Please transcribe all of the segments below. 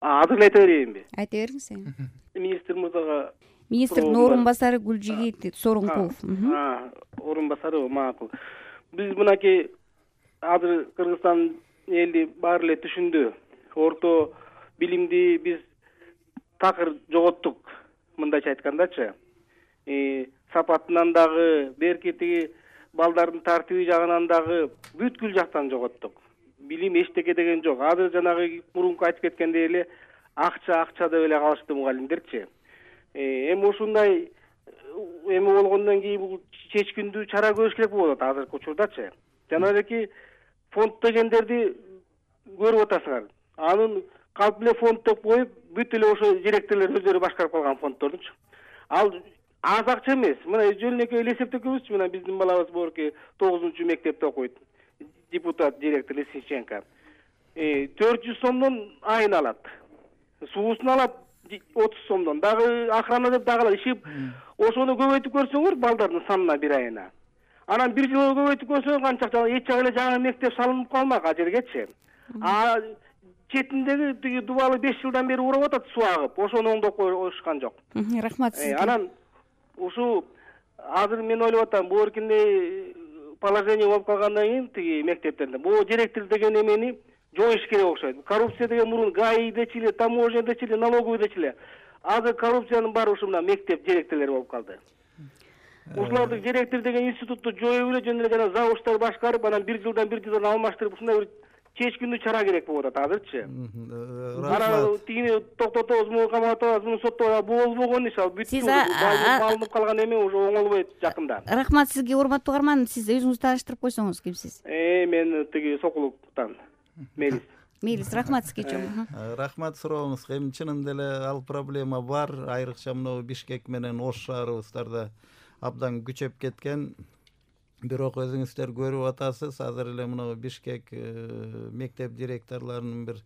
Азыр эле айта берейинби? Айта бериңиз. Министр мырзага, Министрдин орун басары Гүлжигит Сооронкулов. орун басары макул. Биз мынакей азыр Кыргызстан эли баары эле түшүндү. Орто билимди биз такыр жоготтук, мындайча айткандачы. Сапатынан дагы, беркети, балдардын тартиби жагынан дагы бүткүл жактан жоготтук. Билим эчтеке деген жок. Азыр жанагы мурунку айтып кеткендей эле акча деп эле калышты мугалимдерчи. Эми ушундай эми болгондон кийин бул чечкиндүү чара көрүш керек болуп атат азыркы учурдачы. Жана эки фонд дегендерди көрүп атасыңар. Анын калп эле фонд деп коюп, бүт эле ошо директорлор өздөрү башкарып калган фонддордучу. Ал аз акча эмес. Мына жөнөкөй эле эсептөкөбүзчү, мына биздин балабыз борки 9-мектепте окуйт. Депутат, директор Лисиченко. 400 сомдон айына алат. Суусун алат 30 сомдон. Дагы охрана деп дагы алат. Ишип, ошону көбөйтүп көрсөңөр балдардын санына бир айына. Анан бир жылга көбөйтүп көрсөң канча эч жагы эле жаңы мектеп салынып калмак ажергечи. Четиндеги тиги дубалы 5 жылдан бери урап атат суу агып. Ошону оңдоп коюшкан жок. Рахмат сизге. Анан ушу азыр мен ойлоп атам, буеркиндей положение болуп калгандан кийин тиги мектептерде бул директор деген эмени жоюш керек окшойт. Коррупция деген мурун ГАИдечи эле, таможнядечи эле, налоговыйдечи эле. Азыр коррупциянын баары ушу мына мектеп директорлору болуп калды. Ушуларды директор деген институтту жоюп эле жөн эле жана завучтар башкарып, анан бир жылдан алмаштырып ушундай бир чечкиндүү чара керек болуп атат азырчы. Анан тигини токтотобуз, муну каматабыз, муну соттобуз, бул болбогон иш, ал бүт алынып калган эме уже оңолбойт жакында. Рахмат сизге, урматтуу угарман. Сиз өзүңүздү тааныштырып койсоңуз, кимсиз? Мен тиги Сокулуктан. Мелис, рахмат сизге чоң. Рахмат сурооңузга. Эми чынында эле ал проблема бар. Айрыкча мына Бишкек менен Ош шаарыбыздарда абдан күчөп кеткен. Бирок өзүңүздөр көрүп атасыз, азыр эле мына Бишкек мектеп директорлорунун бир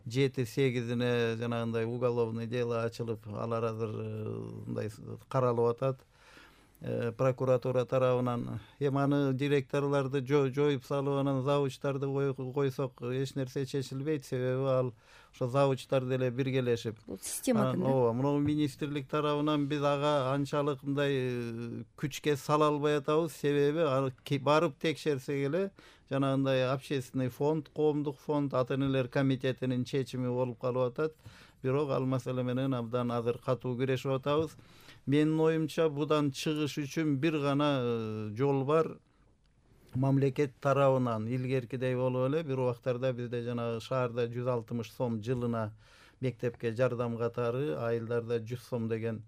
7-8-ине жанагындай уголовный дело ачылып, алар азыр мындай каралып атат прокуратура тарабынан. Эми аны директорлорду жоюп салып, анан завучтарды койсок эч нерсе чечилбейт, себеби ал ошо завучтар деле биргелешип. Бул системадан. Ооба, мына министрлик тарабынан биз ага анчалык мындай күчкө сала албай атабыз, себеби барып текшерсек эле жанагындай общественный фонд, коомдук фонд, ата-энелер комитетинин чечими болуп калып атат. Бирок ал маселе менен абдан азыр катуу күрөшүп атабыз. Менин оюмча будан чыгыш үчүн бир гана жол бар. Мамлекет тарабынан илгеркидей болуп эле бир убактарда бизде жанагы шаарда 160 сом жылына мектепке жардам катары, айылдарда 100 сом деген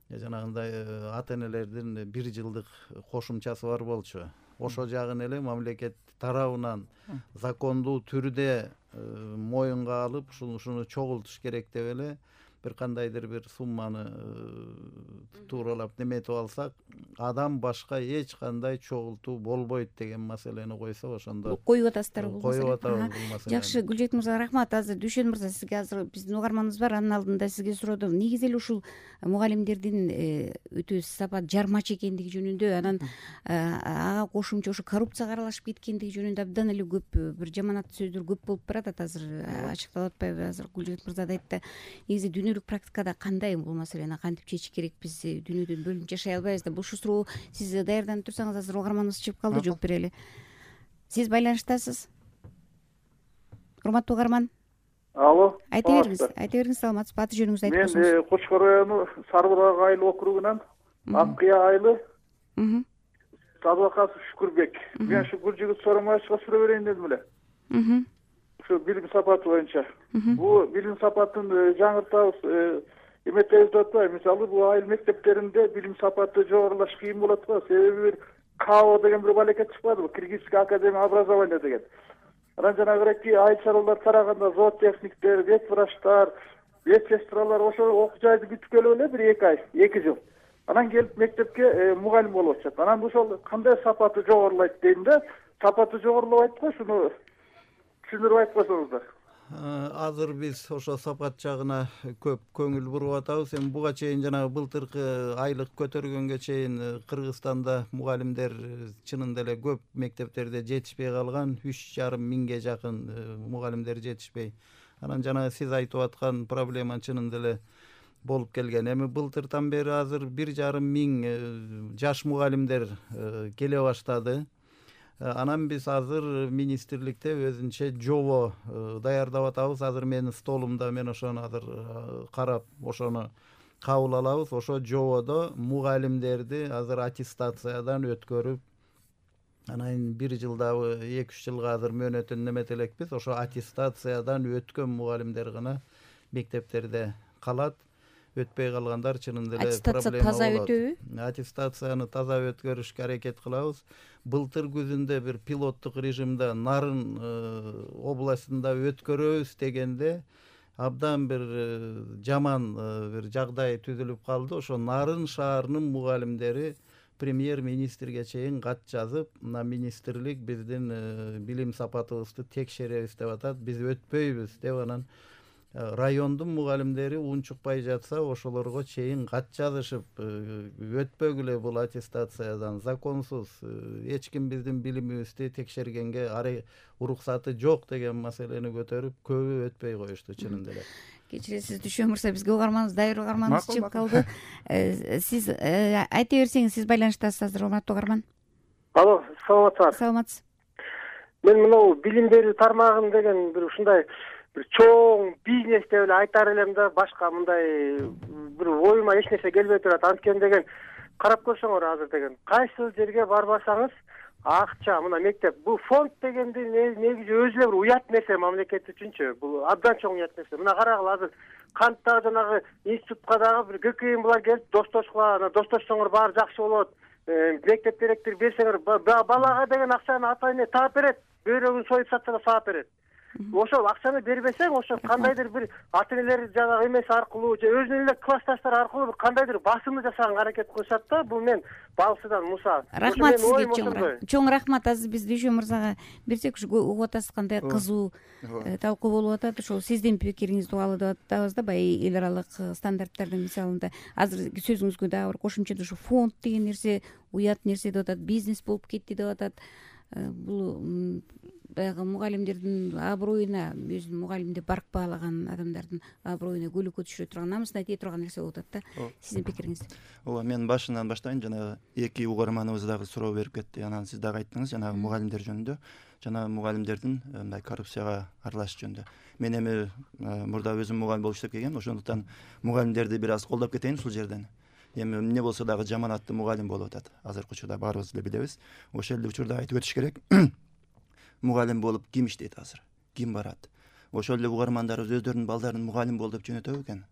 жанагындай ата-энелердин бир жылдык кошумчасы бар болчу. Ошо жагын эле мамлекет тарабынан закондуу түрдө моюнга алып, ушуну чогултуш керек деп эле бир кандайдыр бир сумманы тууралап неметип алсак, адам башка эч кандай чогултуу болбойт деген маселени койсок, ошондо коюп атасыздар бул маселени. Коюп атабыз бул маселени. Жакшы, Гүлжет мырза, рахмат. Азыр Дүйшөн мырза, сизге азыр биздин угарманыбыз бар, анын алдында сизге суродум. Негизи эле ушул мугалимдердин өтө сапат жармач экендиги жөнүндө, анан ага кошумча ошо коррупцияга аралашып кеткендиги жөнүндө абдан эле көп бир жаманаттуу сөздөр көп болуп баратат. Азыр ачыкталып атпайбы? Азыр Гүлжет мырза да айтты. Негизи дүйнөлүк практикада кандай бул маселени кантип чечиш керек? Биз дүйнөдөн бөлүнүп жашай албайбыз да. Бул суроо сиз даярданып турсаңыз, азыр угарманыбыз чыгып калды, жооп берели. Сиз байланыштасыз, урматтуу угарман. Алло. Айта бериңиз, саламатсызбы? Аты жөнүңүздү айтып койсоңуз. Мен Кочкор району Сарбурак айыл округунан Аккыя айылы Садыкасов Шүкүрбек. Мен ушу Гүлжигит Сооронбаевичке суроо берейин дедим эле. Ушу билим сапаты боюнча. Бул билим сапатын жаңыртабыз, эметебиз деп атпайбы? Мисалы, бул айыл мектептеринде билим сапаты жогорулаш кыйын болот го. Себеби бир КАО деген бир балекет чыкпадыбы? Кыргызская академия образования деген. Анан жанагыраки айыл чаралар тараганда зоотехниктер, ветврачтар, медсестралар ошо окуу жайды бүтүп келип эле бир 2 ай, 2 жыл. Анан келип мектепке мугалим болуп атышат. Анан ошол кандай сапаты жогорулайт дейм да, сапаты жогорулабайт го, шуну түшүндүрүп айтып койсоңуздар. Азыр биз ошо сапат жагына көп көңүл буруп атабыз. Эми буга чейин жанагы былтыркы айлык көтөргөнгө чейин Кыргызстанда мугалимдер чынында эле көп мектептерде жетишпей калган, 3,5 миңге жакын мугалимдер жетишпей. Анан жана сиз айтып аткан проблема чынында эле болуп келген. Эми былтыртан бери азыр 1,5 миң жаш мугалимдер келе баштады. Анан биз азыр министрликте өзүнчө жобо даярдап атабыз. Азыр менин столумда, мен ошону азыр карап, ошону кабыл алабыз. Ошо жободо мугалимдерди азыр аттестациядан өткөрүп, анан 1 жылдабы 2-3 жылга азыр мөөнөтүн немете элекпиз. Ошо аттестациядан өткөн мугалимдер гана мектептерде калат. Өтпөй калгандар чынында эле проблема болот. Аттестация таза өтөбү? Аттестацияны таза өткөрүшкө аракет кылабыз. Былтыр күзүндө бир пилоттук режимде Нарын областында өткөрөбүз дегенде абдан бир жаман бир жагдай түзүлүп калды. Ошо Нарын шаарынын мугалимдери премьер-министрге чейин кат жазып, мына министрлик биздин билим сапатыбызды текшеребиз деп атат. Биз өтпөйбүз деп, анан райондун мугалимдери унчукпай жатса, ошолорго чейин кат жазышып, өтпөгүлө бул аттестациядан, законсуз, эч ким биздин билимибизди текшергенге уруксаты жок деген маселени көтөрүп, көбү өтпөй коюшту чынында эле. Кечиресиз Дүшөн мырза, бизге угарманыбыз, дайыр угарманыбыз чыгып калды. Сиз айта берсеңиз, сиз байланыштасыз азыр, урматтуу угарман. Алло, саламатсызбы? Саламатсыз. Мен мынау билим берүү тармагын деген бир ушундай бир чоң бизнес деп эле айтар элем да, башка мындай бир оюма эч нерсе келбей турат. Анткени деген карап көрсөңөр азыр деген кайсы жерге барбасаңыз акча, мына мектеп, бул фонд дегенди негизи өзү эле бир уят нерсе мамлекет үчүнчү. Бул абдан чоң уят нерсе. Мына карагыла, азыр кантта жанагы институтка дагы бир ГКМ булар келип достошкула, достошсоңор баары жакшы болот. Мектеп директор берсеңер, балага деген акчаны ата эне таап берет. Бөйрөгүн союп сатса да саап берет. Ошол акчаны бербесең, ошо кандайдыр бир ата энелер жанагы эмеси аркылуу же өзүнүн эле классташтары аркылуу бир кандайдыр басымды жасаганга аракет кылышат да. Бул мен Балсыдан Муса. Рахмат сизге, чоң рахмат. Азыр биз Дүшөн мырзага берсек, ушу угуп атасыз кандай кызуу талкуу болуп атат. Ошол сиздин пикириңизди угалы деп атабыз да, баягы эл аралык стандарттардын мисалында. Азыр сөзүңүзгө дагы бир кошумча ушу фонд деген нерсе уят нерсе деп атат, бизнес болуп кетти деп атат. Бул баягы мугалимдердин аброюна, өзүнүн мугалимди барк баалаган адамдардын аброюна көйлөккө түшүрө турган, намысына тие турган нерсе болуп атат да. Сиздин пикириңиз? Ооба, мен башынан баштайын. Жана эки угарманыбыз дагы суроо берип кетти. Анан сиз дагы айттыңыз жанагы мугалимдер жөнүндө, жана мугалимдердин мындай коррупцияга аралашыш жөнүндө. Мен эми мурда өзүм мугалим болуп иштеп келгем, ошондуктан мугалимдерди бир аз колдоп кетейин ушул жерден. Эми эмне болсо дагы жаманаттуу мугалим болуп атат. Азыркы учурда баарыбыз эле билебиз. Ошол эле учурда айтып өтүш керек. Мугалим болуп ким иштейт азыр? Ким барат? Ошол эле угармандарыбыз өздөрүнүн балдарын мугалим бол деп жөнөтөбү экен?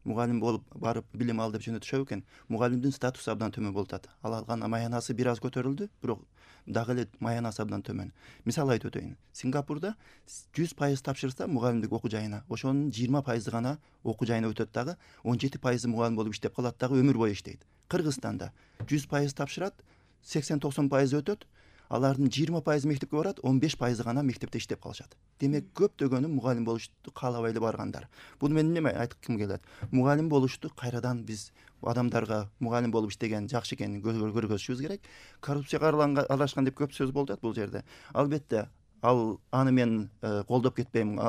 Мугалим болуп барып билим ал деп жөнөтүшөбү экен? Мугалимдин статусу абдан төмөн болуп атат. Ал алган маянасы бир аз көтөрүлдү, бирок дагы эле маянасы абдан төмөн. Мисал айтып өтөйүн. Сингапурда 100% тапшырса мугалимдик окуу жайына, ошонун 20% гана окуу жайына өтөт дагы, 17% мугалим болуп иштеп калат дагы, өмүр бою иштейт. Кыргызстанда 100% тапшырат, 80-90% өтөт. Алардын 20% мектепке барат, 15% гана мектепте иштеп калышат. Демек көптөгөнү мугалим болушту каалабай эле баргандар. Буну мен неме айткым келет? Мугалим болушту кайрадан биз адамдарга мугалим болуп иштеген жакшы экенин көргөзүшүбүз керек. Коррупцияга аралашкан деп көп сөз болуп атат бул жерде. Албетте аны мен колдоп кетпейм.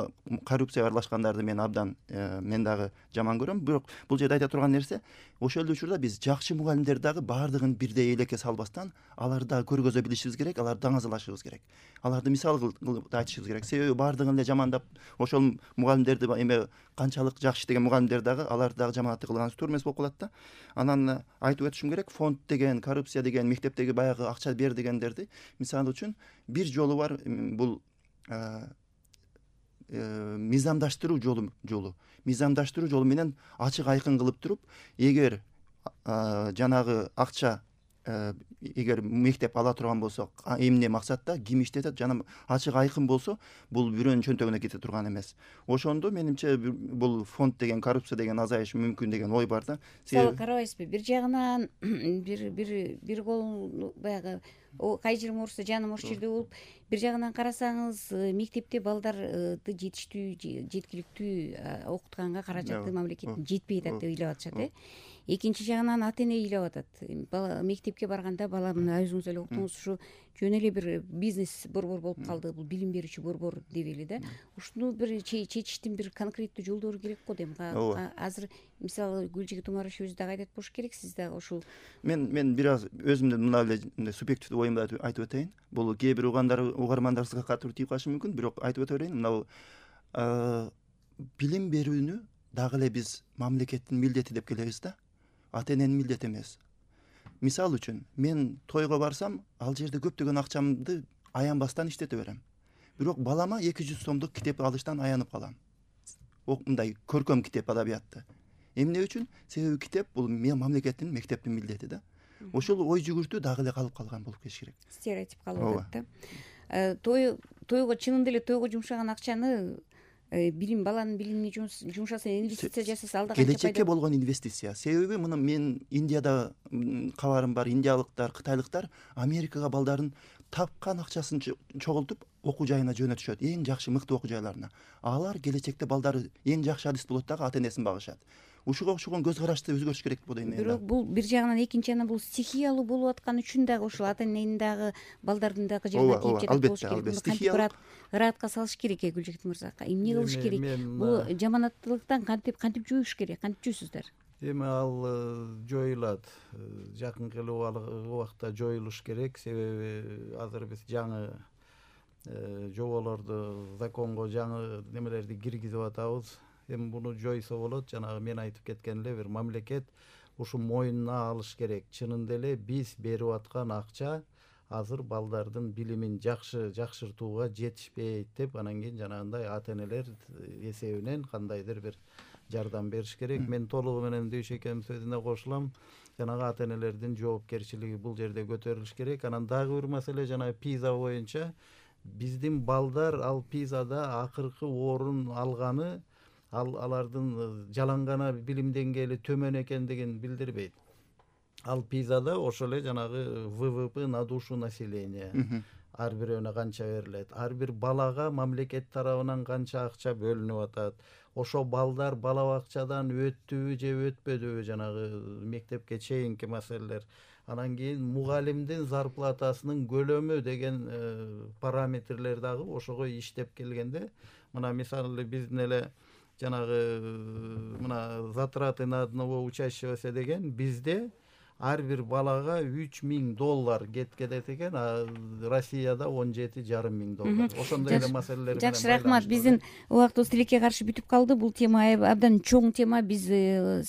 Коррупцияга аралашкандарды мен абдан мен дагы жаман көрөм. Бирок бул жерде айта турган нерсе, ошол эле учурда биз жакшы мугалимдер дагы баардыгын бирдей элекке салбастан, аларды дагы көргөзө билишибиз керек, аларды даңазалашыбыз керек. Аларды мисал кылып айтышыбыз керек. Себеби баардыгын эле жамандап, ошол мугалимдерди эме канчалык жакшы иштеген мугалимдер дагы аларды дагы жаманаттык кылганыбыз туура эмес болуп калат да. Анан айтып өтүшүм керек, фонд деген, коррупция деген, мектептеги баягы акча бер дегендерди мисалы үчүн бир жолу бар. Бул мыйзамдаштыруу жолу. Мыйзамдаштыруу жолу менен ачык айкын кылып туруп, эгер жанагы акча эгер мектеп ала турган болсо, эмне максатта, ким иштетет, жана ачык айкын болсо, бул бирөөнүн чөнтөгүнө кете турган эмес. Ошондо менимче бул фонд деген, коррупция деген азайышы мүмкүн деген ой бар да. Сабыл карабайсызбы? Бир жагынан бир кол баягы кай жерим оорусса жаным ошол жерде болуп, бир жагынан карасаңыз мектепте балдарды жетиштүү, жеткиликтүү окутканга каражаты мамлекеттин жетпей атат деп ыйлап атышат. Экинчи жагынан ата эне ыйлап атат. Бала мектепке барганда, бала мына өзүңүз эле уктуңуз, ушу жөн эле бир бизнес борбор болуп калды, бул билим берүүчү борбор дебейли да. Ушуну бир чечиштин бир конкреттүү жолдору керек го дейм. Азыр мисалы Гүлжигит Умарович өзү дагы айтат болуш керек, сиз дагы ушул. Мен бир аз өзүмдүн мына эле субъективдүү оюмду айтып өтөйүн. Бул кээ бир угармандарыбызга катуу тийип калышы мүмкүн, бирок айтып өтө берейин. Мына билим берүүнү дагы эле биз мамлекеттин милдети деп келебиз да. Ата эненин милдети эмес. Мисал үчүн, мен тойго барсам, ал жерде көптөгөн акчамды аянбастан иштете берем. Бирок балама 200 сомдук китеп алыштан аянып калам. Мындай көркөм китеп, адабиятты. Эмне үчүн? Себеби китеп бул мамлекеттин, мектептин милдети да. Ошол ой жүгүртүү дагы эле калып калган болуп кетиш керек. Стереотип калып атат да. Тойго чынында эле тойго жумшаган акчаны баланын билимине жумшаса, инвестиция жасаса, алда келечекке болгон инвестиция. Себеби мына мен Индияда кабарым бар, индиялыктар, кытайлыктар Америкага балдарын тапкан акчасын чогултуп окуу жайына жөнөтүшөт, эң жакшы мыкты окуу жайларына. Алар келечекте балдары эң жакшы адист болот дагы ата энесин багышат. Ушуга окшогон көз карашты өзгөрүш керек деп ойлойм. Бирок бул бир жагынан, экинчи жагынан бул стихиялуу болуп аткан үчүн дагы ушул ата эненин дагы балдардын дагы жерине тийип жатат болуш керек. Кантип ыраатка салыш керек Гүлжигит мырза? Эмне кылыш керек? Бул жаманаттуулуктан кантип жууш керек? Кантип жуйсуздар? Эми ал жоюлат. Жакынкы эле убакта жоюлуш керек. Себеби азыр биз жаңы жоболорду, законго жаңы немелерди киргизип атабыз. Эми буну жойсо болот. Жанагы мен айтып кеткен эле бир мамлекет ушу мойнуна алыш керек. Чынында эле биз берип аткан акча азыр балдардын билимин жакшыртууга жетишпейт деп, анан кийин жанагындай ата энелер эсебинен кандайдыр бир жардам бериш керек. Мен толугу менен Дүйшекемдин сөзүнө кошулам. Жанагы ата энелердин жоопкерчилиги бул жерде көтөрүлүш керек. Анан дагы бир маселе, жана ПИЗа боюнча биздин балдар ал ПИЗада акыркы орун алганы алардын жалаң билим деңгээли төмөн экендигин билдирбейт. Ал ПИЗада ошол эле жанагы ВВП на душу населения ар бирөөнө канча берилет, ар бир балага мамлекет тарабынан канча акча бөлүнүп атат, ошо балдар бала бакчадан өттүбү же өтпөдүбү, жанагы мектепке чейинки маселелер. Анан кийин мугалимдин зарплатасынын көлөмү деген параметрлер дагы ошого иштеп келгенде, мына мисалы биздин эле жанагы мына затраты на одного учащегося деген бизде ар бир балага $3000 кетет экен, а Россияда $17,500. Ошондой эле маселелер менен. Жакшы, рахмат. Биздин убактыбыз тилекке каршы бүтүп калды. Бул тема абдан чоң тема. Биз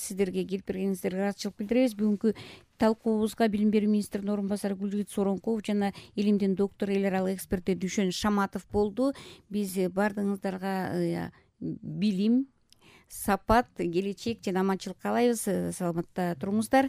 сиздерге келип бергениңиздерге ыраазычылык билдиребиз. Бүгүнкү талкуубузга билим берүү министринин орун басары Гүлжигит Соронков жана илимдин доктору, эл аралык эксперти Дүйшөн Шаматов болду. Биз баардыгыңыздарга билим, сапат, келечек жана аманчылык каалайбыз. Саламатта туруңуздар.